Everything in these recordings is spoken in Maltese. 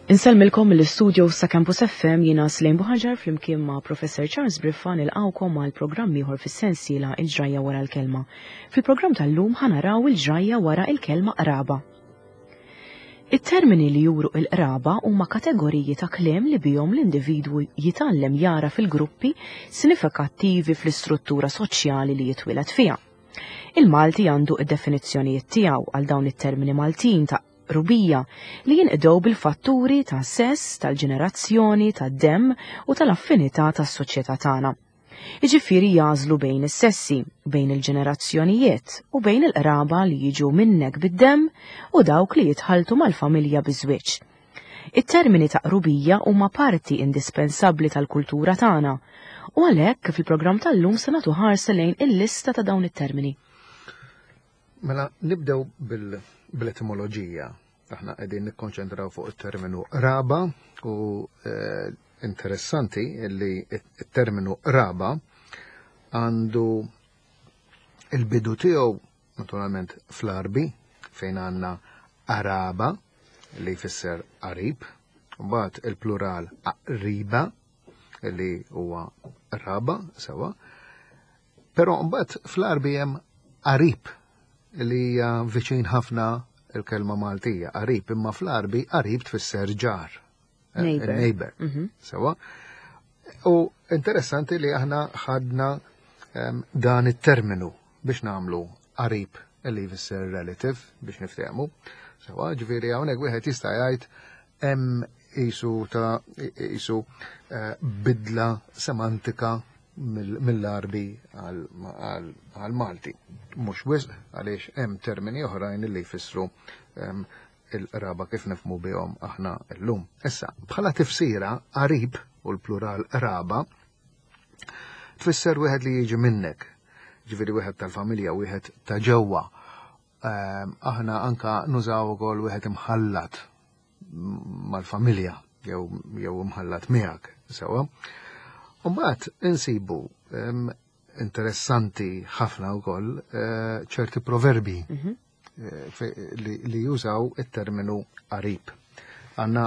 Insellmilkom mill-istudio sa Campus FM jiena Slejn Buħaġar flimkien ma' Professor Charles Briffa nilqgħukom għal programm ieħor fis-sensiela Il-ġrajja wara l-kelma. Fil-programm tal-lum ħanaraw il-ġrajja wara il-kelma qraba. It-termini li juru il-qraba huma kategoriji ta' kliem li bihom l-individwu jitgħallem jara fil-gruppi sinifikattivi fl-istruttura soċjali li jitwieled fiha. Il-Malti għandu id-definizzjonijiet tiegħu għal dawn it-termini Maltin ta' qrubija li jinqdew bil-fatturi ta' sess, tal-ġenerazzjoni, tad-demm u tal-affinità tas-soċjetà tagħna. Jiġifieri jagħżlu bejn is-sessi, bejn il-ġenerazzjonijiet u bejn il-qraba li jiġu minnek bid-demm u dawk li jitħalltu mal-familja biż-żwieġ. It-termini ta' qrubija huma parti indispensabbli tal-kultura tagħna u għalhekk fil-programm tal-lum se nagħtu ħarsa lejn il-lista ta' dawn it-termini. Mela nibdew bil-etimoloġija. Aħna qegħdin nikkonċentraw fuq it-terminu raba u eh, interessanti li it-terminu raba għandu il-bidu tiegħu naturalment fl-Arbi fejn għandna araba li jfisser qarib, mbagħad il-plural aqriba li huwa raba sewa. Però mbagħad fl-Għarbi hemm qarib li hija viċin ħafna il-kelma Maltija, qarib, imma fl-Għarbi qarib tfisser ġar. Eh, neighbor. Neighbor. Mhm. Sewa. U interessanti li aħna ħadna ehm, dan it-terminu biex namlu qarib li jfisser relative biex niftehmu. Sewa, ġifieri hawnhekk wieħed jista' jgħid hemm isu ta' isu eh, bidla semantika mill-Għarbi għall-Malti. Mhux wisq għaliex hemm termini oħrajn li jfissru ehm, il-qraba kif nifmu bihom aħna llum. Issa, bħala tifsira qarib u l-plural qraba tfisser wieħed li jiġi minnek, ġifieri wieħed tal-familja, wieħed ta' ġewwa. Ehm, aħna anka nużaw ukoll wieħed imħallat mal-familja jew jew imħallat miegħek sewwa. Mbagħad insibu interessanti ħafna wkoll eh, ċerti proverbi mhm. eh, li jużaw it-terminu qarib. Għanna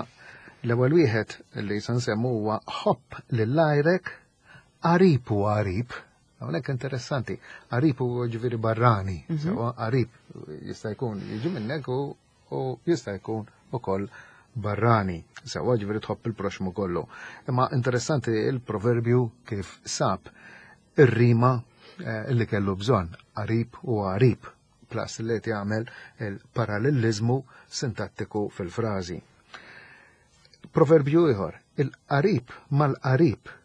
l-ewwel wieħed li se nsemmu huwa ħobb lil-lajrek qarib u qarib. Hawnhekk interessanti, qarib huwa ġifieri barrani, mhm. sewwa qarib jista' jkun jiġi minnek u u jista' jkun ukoll barrani, sewwa ġifieri tħobb il-proxmu kollu. Imma interessanti il-proverbju kif sab ir-rima eh, li kellu bżonn, qarib u qarib, plus li qed jagħmel il-parallelizmu sintattiku fil-frażi. Proverbju ieħor, il-qarib mal-qarib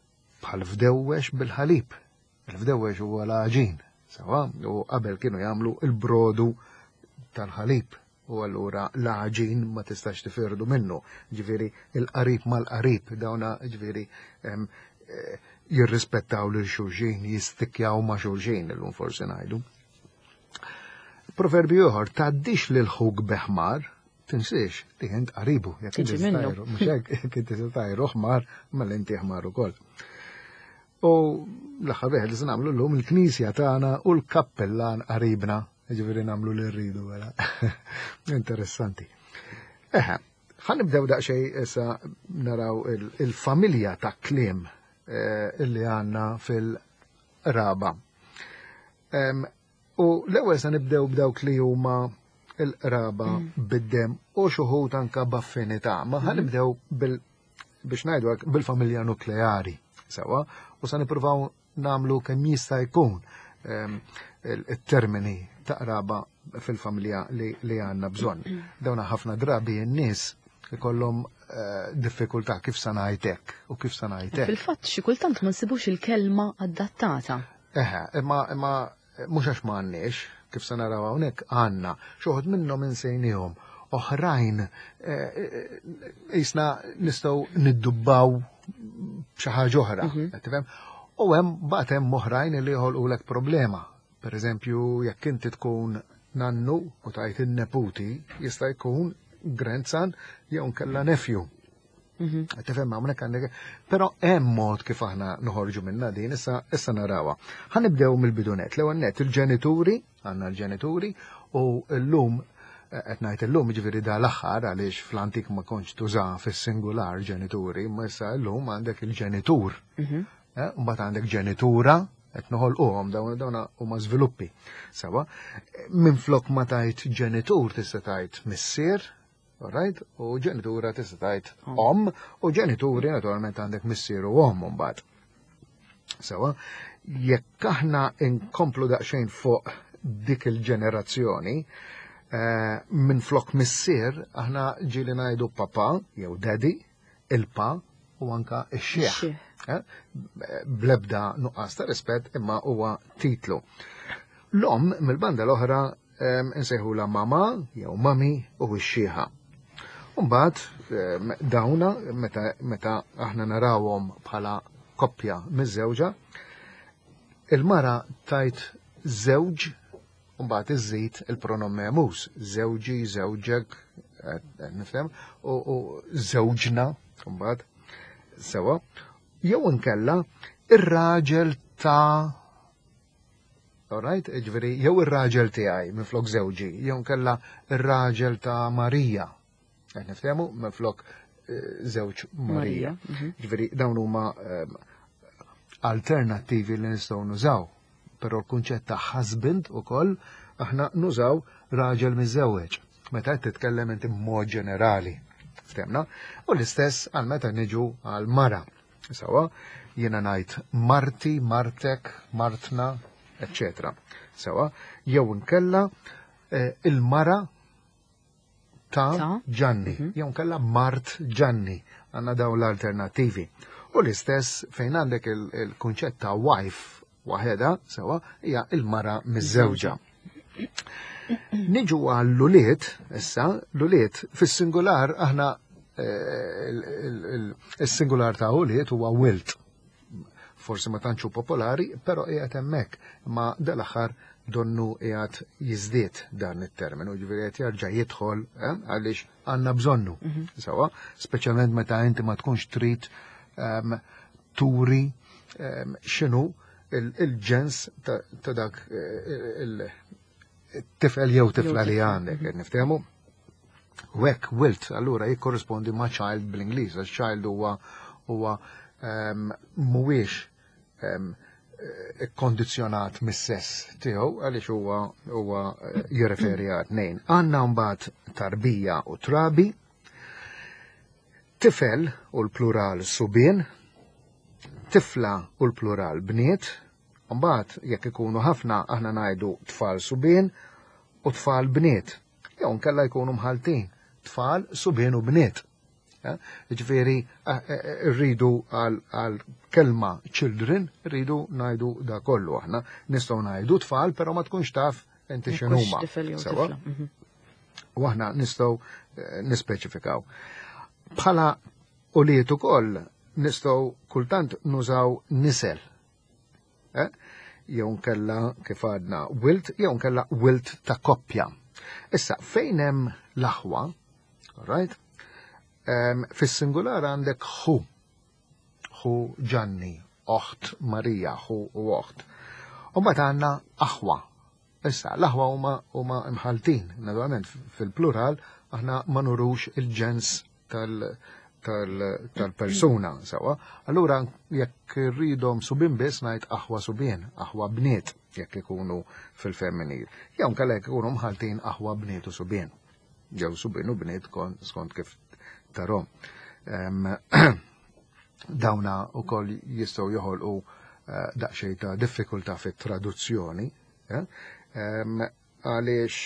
bħal fdewwex bil-ħalib. Il-fdewwex huwa l-għaġin, sewa, u qabel kienu jagħmlu il-brodu tal-ħalib u allura l-għaġin ma tistax tifirdu minnu. Ġifieri il-qarib mal-qarib dawna ġifieri eh, jirrispettaw lil xulxin, jistikjaw ma' xulxin illum forsi ngħidu. Proverbju ieħor, tgħaddix lil ħuk beħmar, tinsiex li int qaribu, jekk inti mhux hekk jekk inti tajru ħmar, mela inti ħmar ukoll. U l-aħħar wieħed li se nagħmlu llum il-knisja tagħna u l-kappellan qaribna, jiġifieri nagħmlu li rridu wara. Interessanti. Eħe, ħa nibdew daqsxejn issa naraw il-familja ta' kliem eh, illi għandna fil-raba. U l-ewwel se nibdew b'dawk li huma il-qraba mm. bid-dem u xuħut anka b'affinità. Ma ħa mm. nibdew bil biex ngħidu hekk bil-familja nukleari sewwa u se nippruvaw nagħmlu kemm jista' jkun ehm, il-termini ta' qraba fil-familja li għandna bżonn. Mm. Dawna ħafna drabi n-nies ikollhom eh, diffikultà kif sa ngħidlek u kif sa ngħidlek. Fil-fatt xi kultant ma nsibux il-kelma adattata. Eħe, imma imma mhux għax ma għandniex, kif se naraw hawnhekk għandna, xi wħud minnhom insejniehom, oħrajn eh, eh, jisna nistgħu niddubbaw xi ħaġa oħra, mhm. tifhem? U hemm bagħad hemm oħrajn li joħolqulek problema. Per eżempju, jekk inti tkun nannu u tajt in-neputi, jista' jkun grandson jew nkella nephew. Mhm. Tifhem hawnhekk għandek. Però hemm mod kif aħna noħorġu minna din issa issa narawha. Ħa nibdew mill-bidunet. L-ewwel net il-ġenituri, għandna l-ġenituri u llum Qed ngħid illum jiġifieri da l-aħħar għaliex fl-antik ma kontx tuża fis-singular ġenituri, imma issa llum għandek il-ġenitur. Mbagħad għandek ġenitura, qed noħolquhom dawn dawn huma żviluppi. Sewa, minflok ma tajt ġenitur tista' tajt missier, alright? U ġenitura tista' tajt omm, u ġenituri naturalment għandek missier u omm mbagħad. Sewa, jekk aħna inkomplu daqsxejn fuq dik il-ġenerazzjoni, minn flok missier aħna ġieli ngħidu papa jew daddy, il-pa u anka ix-xieħ. Blebda nuqqas ta' rispett imma huwa titlu. L-omm mill-banda l-oħra insejħula mama jew mami u x-xieħa. Mbagħad dawna meta aħna narawhom bħala koppja miż-żewġa, il-mara tajt żewġ u mbagħad iżżid il-pronom memus, żewġi, żewġek, nifhem, u żewġna mbagħad sewa, jew inkella ir-raġel ta' Alright, ġifieri jew ir-raġel tiegħi minflok żewġi, jew inkella ir-raġel ta' Marija. Qed niftehmu minflok żewġ Marija. Ġifieri dawn huma alternattivi li nistgħu nużaw. Però l-kunċett ta' husband ukoll aħna nużaw raġel miżżewweġ. Meta qed titkellem inti b'mod ġenerali. Ftemna? U l-istess għal meta niġu għal mara. Sawa, jiena ngħid marti, martek, martna, eccetera. Sawa, jew inkella il-mara ta' Ġanni, jew inkella mart Ġanni, għandna dawn l-alternattivi. U l-istess fejn għandek il-kunċett ta' wife waħedha, sewa, hija il-mara miż-żewġa. Niġu għall-ulied, issa, l-ulied, fis-singular aħna il-singular ta' ulied huwa wilt. Forsi ma tantx hu popolari, però qiegħed hemmhekk, ma dal-aħħar donnu qiegħed jiżdied dan it-terminu, ġifieri qed jerġa' jidħol għaliex għandna bżonnu. Sewa, speċjalment meta inti ma tkunx trid turi x'inhu il-ġens ta' dak il-tifel jew tifla li għandek, niftehmu? U hekk wilt allura jikkorrispondi ma' child bl-Ingliż, għax child huwa mhuwiex kondizjonat mis-sess tiegħu għaliex huwa jirreferi għal tnejn. Għandna mbagħad tarbija u trabi, tifel u l-plural subien, tifla u l-plural bniet, mbagħad jekk ikunu ħafna aħna ngħidu tfal subien u tfal bniet, jew nkella jkunu mħaltin, tfal subien u bniet. Ġifieri rridu għal kelma children, rridu ngħidu da kollu aħna. Nistgħu ngħidu tfal, però ma tkunx taf inti x'inhuma. Sewa? U aħna nistgħu nispeċifikaw. Bħala ulied ukoll nistgħu kultant nużaw nisel. Jew nkella kif għadna wilt, jew nkella wilt ta' koppja. Issa, fejn hemm l-aħwa, right? Fis-singular għandek ħu, ħu Ġanni, oħt Marija, ħu u oħt. U mbagħad għandna aħwa. Issa, l-aħwa huma imħaltin, naturalment fil-plural aħna ma nurux il-ġens tal-persuna, sewa. Allura jekk rridhom subien biss ngħid aħwa subien, aħwa bniet jekk ikunu fil-femminil. Jew nkella jekk ikunu mħaltin aħwa bniet u subien. Jew subien u bniet skont kif tarhom. Dawna wkoll jistgħu joħolqu daqsxejn ta' diffikultà fit-traduzzjoni, għaliex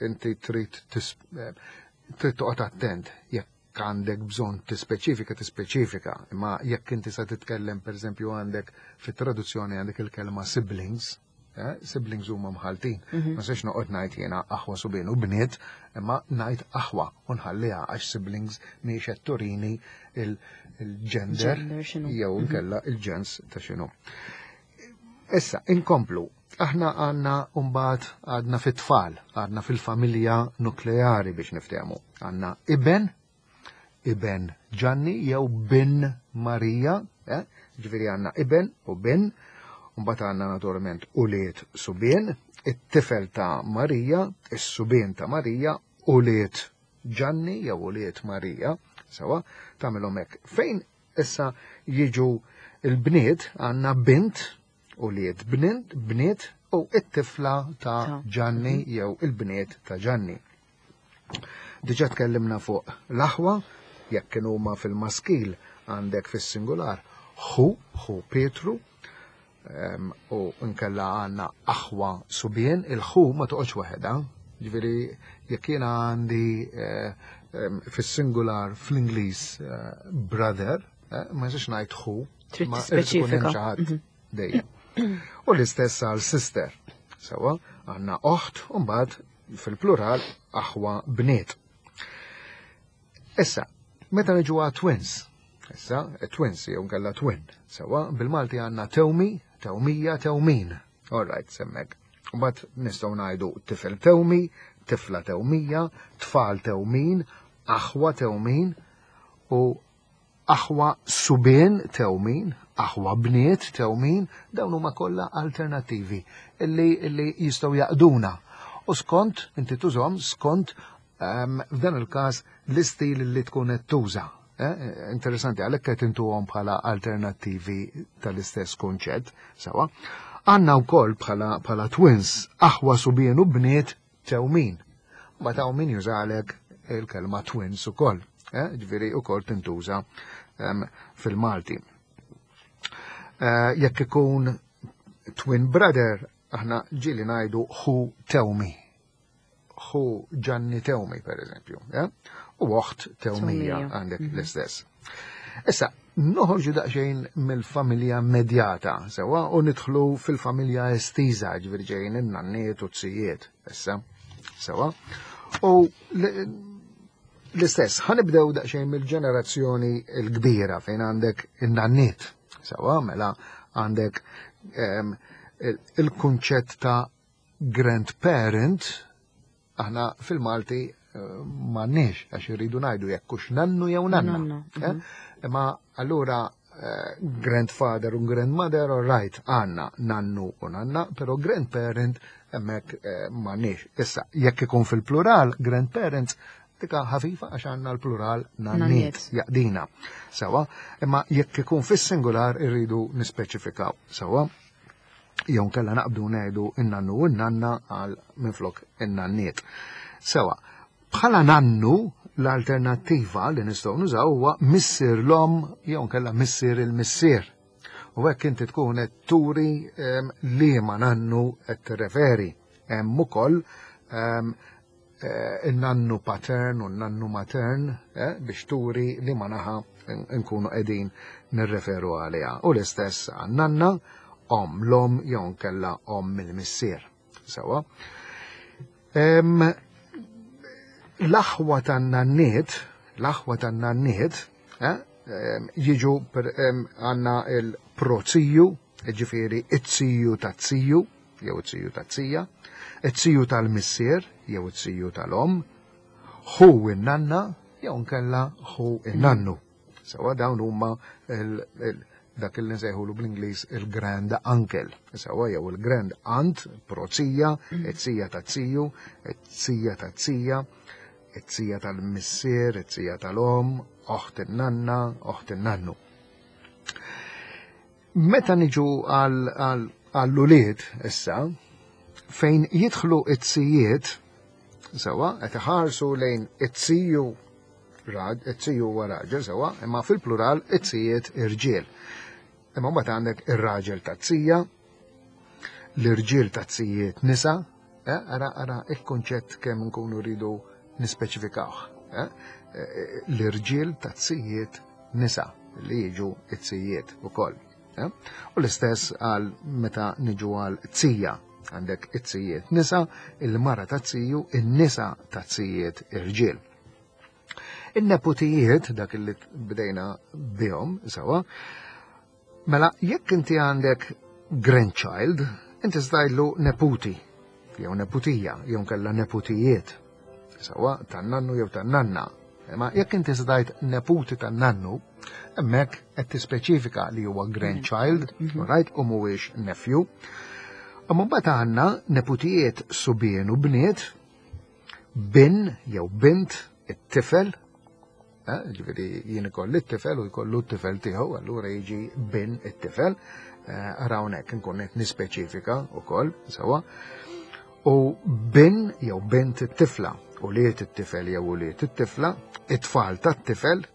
inti trid toqgħod attent jekk għandek bżonn tispeċifika, tispeċifika, imma jekk inti sa titkellem pereżempju għandek fit-traduzzjoni għandek il-kelma siblings, siblings huma mħaltin. Ma sex noqgħod ngħid jiena aħwa subien u bniet, imma ngħid aħwa u nħalliha għax siblings mhijiex qed turini il-gender Gender x'inhu. jew nkella il-ġens ta' x'inhu. Issa, inkomplu. Aħna għandna mbagħad għadna fit-tfal, għadna fil-familja nukleari biex niftehmu. Għandna iben, iben Ġanni jew bin Marija, ġifieri għandna iben u bin, mbagħad għandna naturalment ulied subien, it-tifel ta' Marija, is-subien ta' Marija ulied Ġanni jew ulied Marija, sewa, tagħmilhom hekk. Fejn issa jiġu l-bniet għandna bint ulied bnint, bniet u it-tifla ta' Ġanni jew il-bniet ta' Ġanni. Diġà tkellimna fuq l-aħwa, jekk kienu huma fil-maskil għandek fis-singular ħu, ħu Pietru, u nkella għandna aħwa subien, il-ħu ma toqgħodx waħedha, ġifieri jekk jiena għandi eh, fis-singular fl-Ingliż eh, brother, eh, ma nistax ngħid ħu, Trid tispeċifika. Mhm. Dejjem. U l-istess għal sister. Sewa, għandna oħt u mbagħad fil-plural aħwa bniet. Issa, meta niġu għal twins, issa, twins jew nkella twin, sewa, bil-Malti għandna tewmi, tewmija, tewmin. All right, semmek. Mbagħad nistgħu ngħidu tifel tewmi, tifla tewmija, tfal tewmin, aħwa tewmin u aħwa subien tewmin, aħwa bniet tewmin, dawn huma kollha alternattivi illi, illi jistgħu jaqduna. U skont, inti tużhom skont f'dan il-każ l-istil li tkun qed tuża. Eh, interessanti, għalhekk qed intuhom bħala alternattivi tal-istess kunċett, sewa. Għandna wkoll bħala, bħala twins aħwa subien u bniet tewmin. Ma ta' min jużalek il-kelma twins ukoll, eh, ġifieri ukoll tintuża fil-Malti. Eh, jekk ikun twin brother, aħna ġieli ngħidu ħu tewmi. Ħu Ġanni Tewmi, per eżempju, eh? u oħt Tewmija għandek mhm. l-istess. Issa, noħorġu daqsxejn mill-familja medjata, sewa, u nidħlu fil-familja estiża, ġifieri ġejjin in-nanniet u t-sijiet, issa, sewa. U l-istess, ħanibdew daqsxejn mill-ġenerazzjoni l-kbira fejn għandek in-nanniet, sewa, mela għandek ehm, il-kunċett ta' grandparent, aħna fil-Malti eh, m'għandniex għax irridu ngħidu jekk hux nannu jew nanna. Eh? Imma allura eh, grandfather u grandmother, all right, għandna nannu u nanna, però grandparent hemmhekk m'għandniex. Issa, jekk ikun fil-plural, grandparents, dika ħafifa għax għandna l-plural nanniet jaqdina. Sewa, imma jekk ikun fis-singular irridu nispeċifikaw. Sewa, jew nkella naqbdu ngħidu in-nannu u n-nanna għal minflok in-nanniet. Sewa, bħala nannu l-alternattiva li nistgħu nużaw huwa missier l-omm jew nkella missier il-missier. U hekk inti tkun qed turi ehm, liema nannu qed tirreferi. Hemm ukoll ehm, eh, in-nannu patern u n-nannu matern eh, biex turi li ma naħa nkunu qegħdin nirreferu għaliha. U l-istess għan-nanna, om l-om jew nkella om il-missier. Sewa. L-aħwa tan-nanniet, l-aħwa tan-nanniet, eh, jiġu għanna il-proziju, ġifieri it-ziju tat-ziju, jew it-ziju tat-zija, it-ziju tal-missier jew it-ziju tal-omm, ħu in-nanna jew nkella ħu in-nannu. Sewa dawn huma dak li nsejħulu bl-Ingliż il-grand uncle, sewa jew il-grand aunt, prozija, it-zija tat-ziju, it-zija tat-zija, it-zija tal-missier, it-zija tal-omm, oħt in-nanna, oħt in-nannu. Meta niġu għall-ulied issa, fejn jidħlu it-sijiet, sewa, qed iħarsu lejn it-siju rad, it-siju huwa raġel, sewa, imma fil-plural it-sijiet irġiel. Imma mbagħad għandek ir-raġel tat-sija, l-irġiel tat-sijiet nisa, eh, ara ara il-kunċett kemm nkunu rridu nispeċifikawh. Eh, eh, l-irġiel tat-sijiet nisa li jiġu it-sijiet ukoll. Eh? U l-istess għal meta niġu għal tsija għandek it-sijiet nisa, il-mara ta' tsiju, in-nisa ta' tsijiet irġiel. In-neputijiet, dak li bdejna bihom, sewa, mela jekk inti għandek grandchild, inti stajlu neputi, jew neputija, jew kella neputijiet, sewa tan-nannu jew tan-nanna. Imma jekk inti stajt neputi tan-nannu, hemmhekk qed tispeċifika li huwa grandchild, mm -hmm. right, u mhuwiex nephew. Imma mbagħad għandna neputijiet subien u bniet. Bin jew bint it-tifel, eh, ġifieri jien ikolli t-tifel u jkollu t-tifel tiegħu, allura jiġi bin it-tifel, eh, ara hawnhekk inkun qed nispeċifika wkoll sewwa. U bin jew bint it-tifla, ulied it-tifel jew ulied it-tifla, it-tfal tat-tifel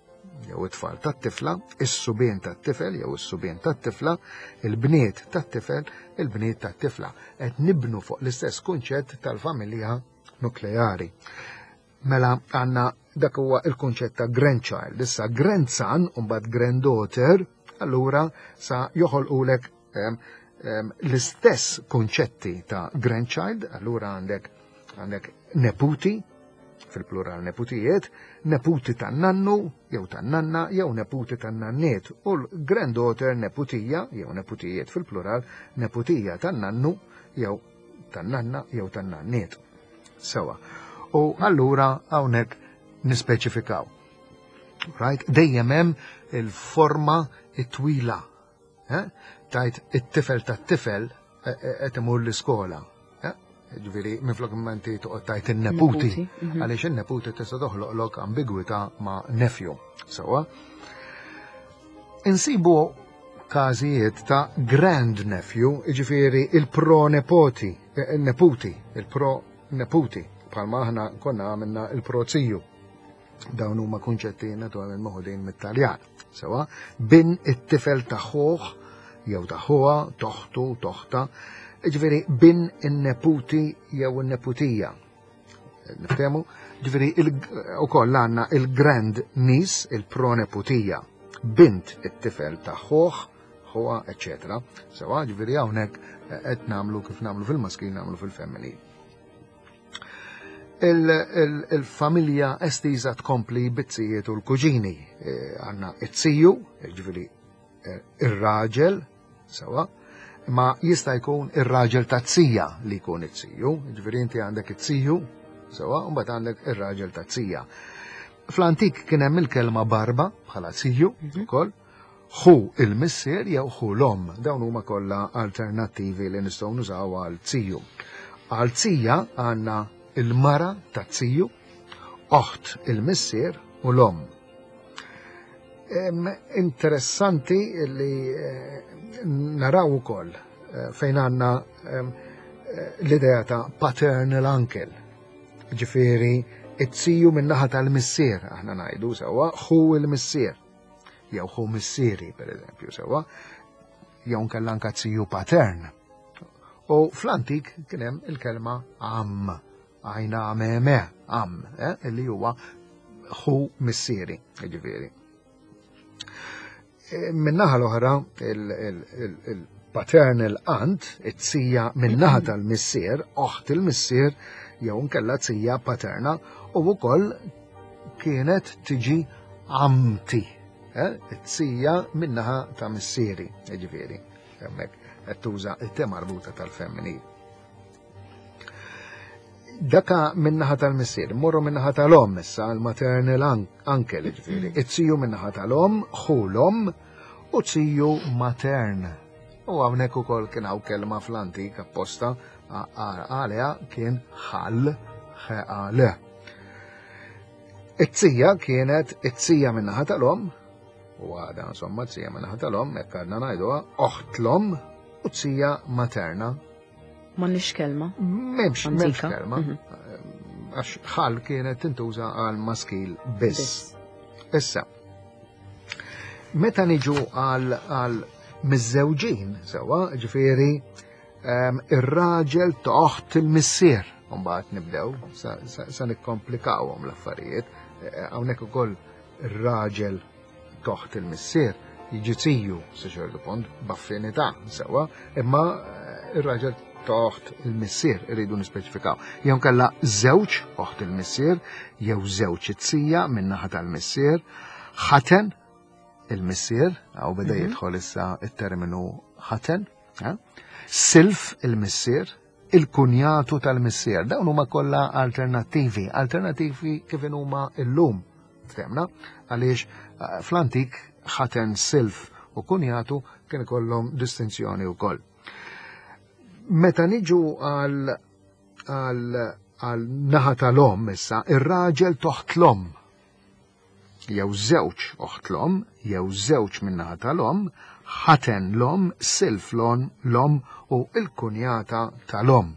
jew it-tfal tat-tifla, is-subien tat-tifel jew is-subien tat-tifla, il-bniet tat-tifel, il-bniet tat-tifla. Qed nibnu fuq l-istess kunċett tal-familja nukleari. Mela għandna dak huwa il-kunċett ta' grandchild. Issa grandson u mbagħad granddaughter, allura sa joħolqulek l-istess kunċetti ta' grandchild, allura għandek għandek neputi, fil-plural neputijiet, neputi tan-nannu jew tan-nanna jew neputi tan-nanniet u l-granddaughter neputija jew neputijiet fil-plural neputija tan-nannu jew tan-nanna jew tan-nanniet. Sewa. U allura hawnhekk nispeċifikaw. Right? Dejjem hemm il-forma it-twila. Eh? Tajt it-tifel tat-tifel eh, eh, qed imur l-iskola. Ġifieri minflok ma inti toqgħod tajt in-neputi, għaliex in-neputi tista' toħloqlok ambigwità ma' nephew. Sewa. Insibu każijiet ta' grand nephew, jiġifieri il-pronepoti, neputi, il-proneputi, bħalma aħna konna għamilna il-proziju. Dawn huma kunċetti naturalment moħudin mit-Taljan. Sewa, bin it-tifel ta' ħuh jew ta' ħuha, toħtu, toħta, ġifieri bin in-neputi jew in-neputija. Niftehmu? Ġifieri ukoll għandna il-grand niece, il-proneputija, bint it-tifel ta' ħuh, ħuha, eċetera. Sewa, ġifieri hawnhekk qed nagħmlu kif nagħmlu fil-maskil nagħmlu fil-femminil. Il-familja estiża tkompli bit-zijiet u l-kuġini. Eh, għandna it-ziju, ġifieri eh, ir-raġel, sewa, ma jista' jkun ir-raġel ta' zija li jkun it-ziju, ġifieri inti għandek it-ziju, sewa, u mbagħad għandek ir-raġel ta' zija. Fl-antik kien hemm il-kelma barba bħala ziju mhm. ukoll, ħu il-missier jew ħu l-omm. Dawn huma kollha alternattivi li nistgħu nużaw għal ziju. Għal zija għandna il-mara ta' ziju, oħt il-missier u l-omm. Interessanti li eh, naraw ukoll eh, fejn għandna eh, l-idea ta' paternal uncle. Ġifieri, it-ziju min-naħa tal-missier, aħna ngħidu sewwa, ħu il-missier. Jew ħu missieri, per eżempju, sewwa, jew nkella anka ziju patern. U fl-antik kien hemm il-kelma am, għajna meme, am, eh, li huwa ħu missieri, ġifieri. E, min-naħa l-oħra, il-paternal aunt, it-tija min-naħa tal-missier, oħt il-missier, jew nkella tija paterna, u wkoll kienet tiġi għamti, eh, it-tija min-naħa ta' missieri, ġifieri, hemmhekk qed tuża it-te marbuta tal-femminil. Daka min-naħa tal-missier, morru min-naħa tal-omm issa, l-maternal uncle, ġifieri, it-tiju min-naħa tal-omm, ħu l-omm, u tiju matern. U hawnhekk ukoll kien hawn kelma fl-antik apposta għaliha kien ħal, ħeqale. It-tija kienet it-tija min-naħa tal-omm, u għada insomma t-tija min-naħa tal-omm, hekk għadna ngħiduha, oħt l-omm u tija materna. M'għandniex kelma. M'hemmx m'hemmx kelma. Mhm. Għax ħal kienet tintuża għal maskil biss. Issa, meta niġu għal għal miżżewġin sewwa, ġifieri ehm, ir-raġel toħt il-missier. Mbagħad nibdew sa nikkomplikawhom l-affarijiet. Eh, hawnhekk ukoll ir-raġel toħt il-missier jiġi ziju sa ċertu punt b'affinità sewwa, imma eh, ir-raġel toħt il-missier irridu nispeċifikaw. Jew kella żewġ oħt il-missier, jew żewġ it-sija min-naħa tal-missier, ħaten il-missier, għaw beda mhm. jidħol issa it-terminu ħaten, eh? silf il-missier, il-kunjatu tal-missier. Dawn huma kollha alternattivi, alternattivi kif huma illum. Ftemna, għaliex eh, fl-antik ħaten silf u kunjatu kien ikollhom distinzjoni wkoll. Meta niġu għal għal għal naħa tal-omm issa, ir-raġel toħt l-omm. Jew żewġ oħt l-omm, jew żewġ min-naħa tal-omm, ħaten l-omm, silf l-omm u l-kunjata tal-omm.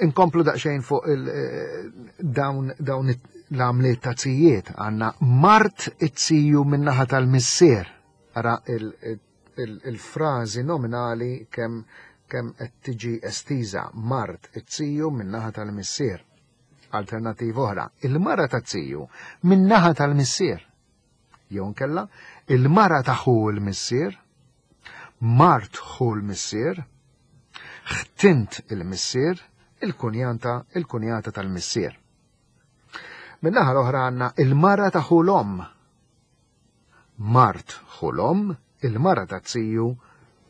Inkomplu daqsxejn fuq dawn dawn l-għamliet ta' zijiet għandna mart it-ziju min-naħa tal-missier. Ara il-frażi nominali kemm kemm qed tiġi estiża mart it-ziju min-naħa tal-missier. Alternattiva oħra, il-mara taz-ziju min-naħa tal-missier. Jew nkella il-mara ta' ħu l-missier, mart ħu l-missier, ħtint il-missier, il-kunjanta, il-kunjata tal-missier. Min-naħa l-oħra għandna il-mara ta' ħu l-omm, mart ħu l-omm, il-mara ta' ziju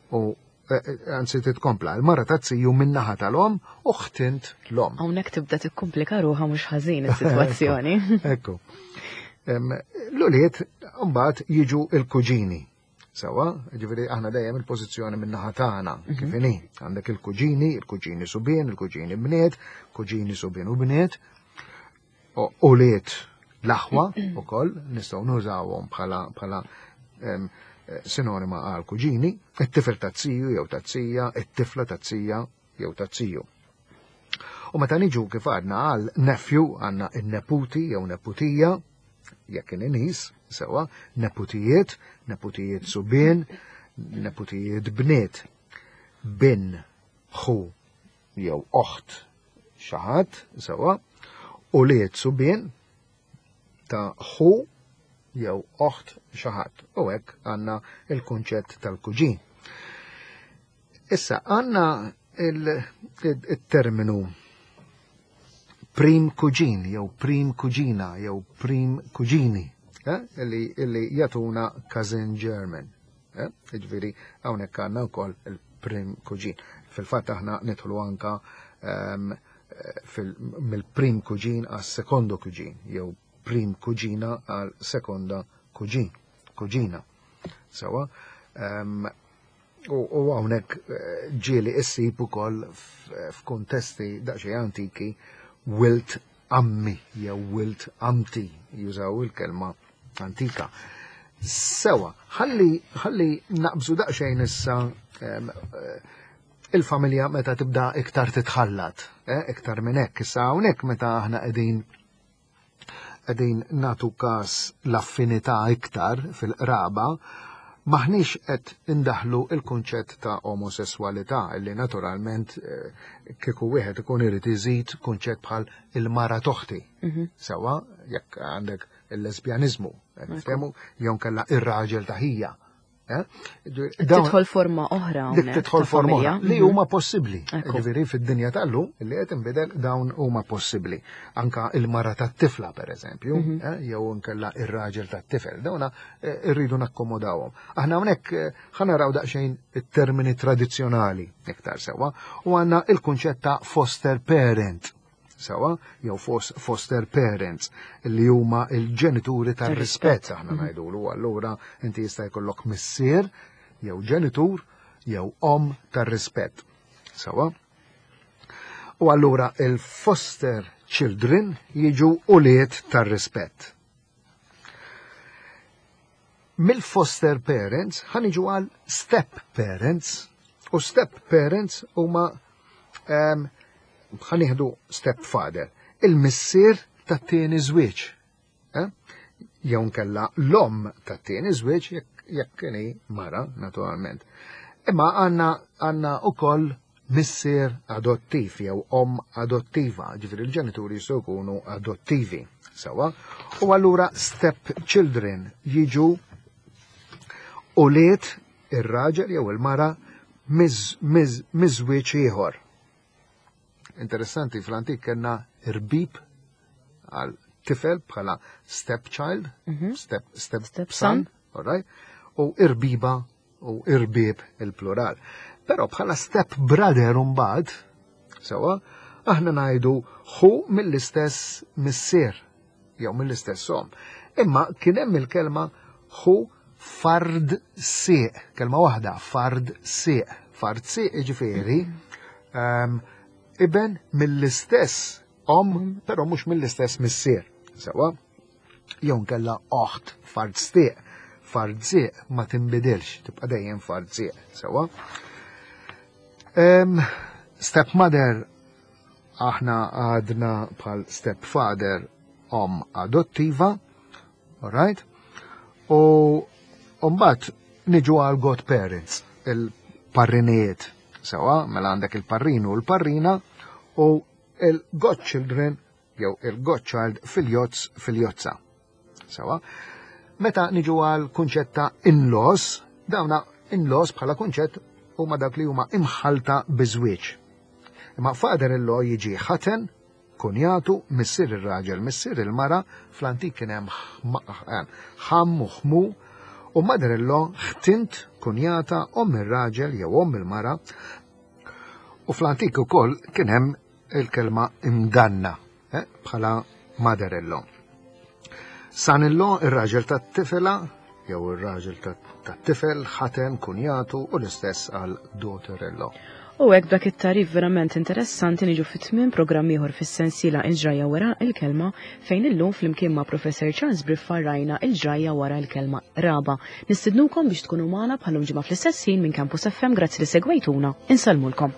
u eh, eh, anzi titkompla, il-mara ta' ziju min-naħa tal-omm u ħtint l-omm. Hawnhekk tibda tikkumplika ruħha mhux ħażin is-sitwazzjoni. Ekku. L-ulied mbagħad jiġu il-kuġini. Sewa, ġifieri aħna dejjem il-pożizzjoni min-naħa tagħna, mhm. kif inhi. Għandek il-kuġini, il-kuġini subien, il-kuġini bniet, kuġini subien u bniet, ulied l-aħwa ukoll nistgħu nużawhom bħala bħala sinonima għal kuġini, it-tifel taz-ziju jew taz-zija, it-tifla taz-zija jew taz-ziju. U meta niġu kif għadna għal nephew għandna n-neputi jew neputija, jekk in-nies, sewa, neputijiet, neputijiet subien, neputijiet bniet, bin, ħu jew oħt xi ħadd, sewwa, ulied subien ta' ħu jew oħt xi ħadd. U hekk għandna il-kunċett tal-kuġin. Issa għandna il-terminu prim kuġin jew prim kuġina jew prim kuġini eh, li, li jatuna cousin German. Eh, ġifieri hawnhekk għandna wkoll il-prim kuġin. Fil-fatt aħna nidħlu anka ehm, mill-prim kuġin għas sekondo kuġin jew prim kuġina għal sekonda kuġin, kuġina. Sewa, ehm, u hawnhekk eh, ġieli issib ukoll f'kuntesti daqsxejn antiki wilt ammi jew wilt amti jużaw il-kelma antika. Sewa, ħalli ħalli naqbżu daqsxejn issa eh, il-familja meta tibda iktar titħallat, eh, iktar minn hekk issa hawnhekk meta aħna qegħdin qegħdin nagħtu każ l-affinità iktar fil-qraba, maħniex qed indaħlu il-kunċett ta' omosessualità illi naturalment eh, kieku wieħed ikun irid iżid kunċett bħal il-mara toħti. Mhm. Sewa, jekk għandek il-lesbjaniżmu, niftehmu, jew nkella ir-raġel ta' ħija. Eh? Tidħol forma oħra. Dik tidħol forma oħra li mhm. huma possibbli. Ġifieri fid-dinja tal-lum li qed inbidel dawn huma possibbli. Anka il-mara tat-tifla pereżempju, mhm. eh, jew inkella ir-raġel tat-tifel, dawna eh, rridu nakkomodawhom. Aħna hawnhekk ħanaraw daqsxejn it-termini tradizzjonali iktar sewwa u għandna il-kunċett ta' foster parent sewa, jew foster parents li huma il-ġenituri tar-rispett aħna mhm. ngħidulu, allura inti jista' jkollok missier jew ġenitur jew om tar-rispett. Sewa? U allura il-foster children jiġu ulied tar-rispett. Mill-foster parents ħaniġu għal step parents u step parents huma ehm, ħanieħdu step father, il-missier tat-tieni żwieġ. Eh? Jew nkella l-omm tat-tieni żwieġ jekk kieni mara, naturalment. Imma għandna għandna ukoll missier adottiv jew omm adottiva, ġifieri l-ġenituri jistgħu jkunu adottivi. Sewa, u allura step children jiġu ulied ir-raġel jew il-mara miż-żwieġ ieħor. Interessanti, fl-antik kellna irbib għal tifel bħala stepchild, mhm. step, step, step son, all right? u irbiba u irbib il-plural. Però bħala step brother mbagħad, sewa, aħna ngħidu ħu mill-istess missier jew mill-istess om. Imma kien hemm il-kelma ħu fard sieq, kelma waħda, fard sieq. Fard sieq jiġifieri ehm, iben mill-istess omm, però mhux mill-istess missier. Sewa? Jew nkella oħt fardstieq. Fardzieq ma tinbidilx, tibqa' dejjem fardzieq. Sewa? Stepmother aħna għadna bħal stepfather om adottiva, alright? U mbagħad niġu għal godparents, il-parrinijiet. Sewa, mela għandek il-parrinu u l-parrina u il-godchildren jew il-godchild filjozz filjozza. Sewa. Meta niġu għal kunċett ta' in-laws, dawna in-laws bħala kunċett huma dak li huma imħalta biżwieġ. Imma father-in-law jiġi ħaten, kunjatu, missier ir-raġel, missier il-mara, fl-antik kien hemm ħam u ħmu, u mother-in-law ħtint, kunjata, omm ir-raġel jew omm il-mara. U fl-antik ukoll kien hemm il-kelma imdanna eh, bħala mother-in-law. Son-in-law ir-raġel tat-tifela jew ir-raġel tat-tifel ħaten kunjatu u l-istess għal daughter-in-law. U hekk b'dak it-tagħrif verament interessanti niġu fi tmiem programm ieħor fis-sensiela Il-Ġrajja wara l-kelma fejn illum flimkien ma' Professor Charles Briffa rajna il-ġrajja wara l-kelma qraba. Nistidnukom biex tkunu magħna bħal ġimgħa fl-istess ħin minn Campus FM grazzi li segwejtuna. Insellmulkom.